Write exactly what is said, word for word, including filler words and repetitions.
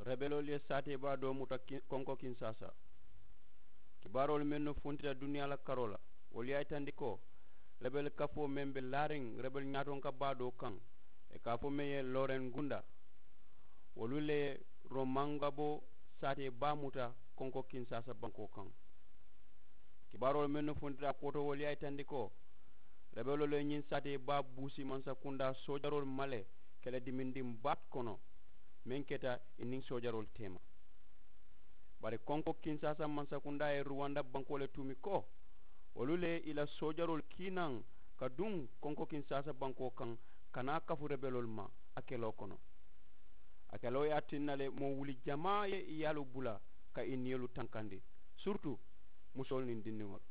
Rebeloolu ye saatee baa doo muta konko kinsaasa. Kibaaroolu mennu funtita duniyaa la karoo la, wolu ye a yitandi ko rebel kafoo meŋ be laariŋ rebel ñaatonka baa doo kaŋ, ì ka a fo meŋ ye looren gunda, wolu le ye romangaboo saatee baa muta konko kinsaasa bankoo kaŋ. Kibaaroolu mennu funtita a koto wolu ye a yitandi ko rebeloolu ye ñiŋ saatee baa buusi mansakundaa soojaroolu ma le ke le dimindiŋ baat kono, meŋ keta ì niŋ soojaroolu teema. Bari konko kinsaasa mansakundaa ye ruwanda bankoo le tuumi ko wolu le ye ì la soojaroolu kii naŋ ka duŋ konko kinsaasa bankoo kaŋ, ka naa kafu rebeloolu ma a keloo kono. A keloo ye a tinna le moo wuli jamaa ye ì yaalu bula ka ì niyolu tankandi, siritu musoolu niŋ dindiŋolu.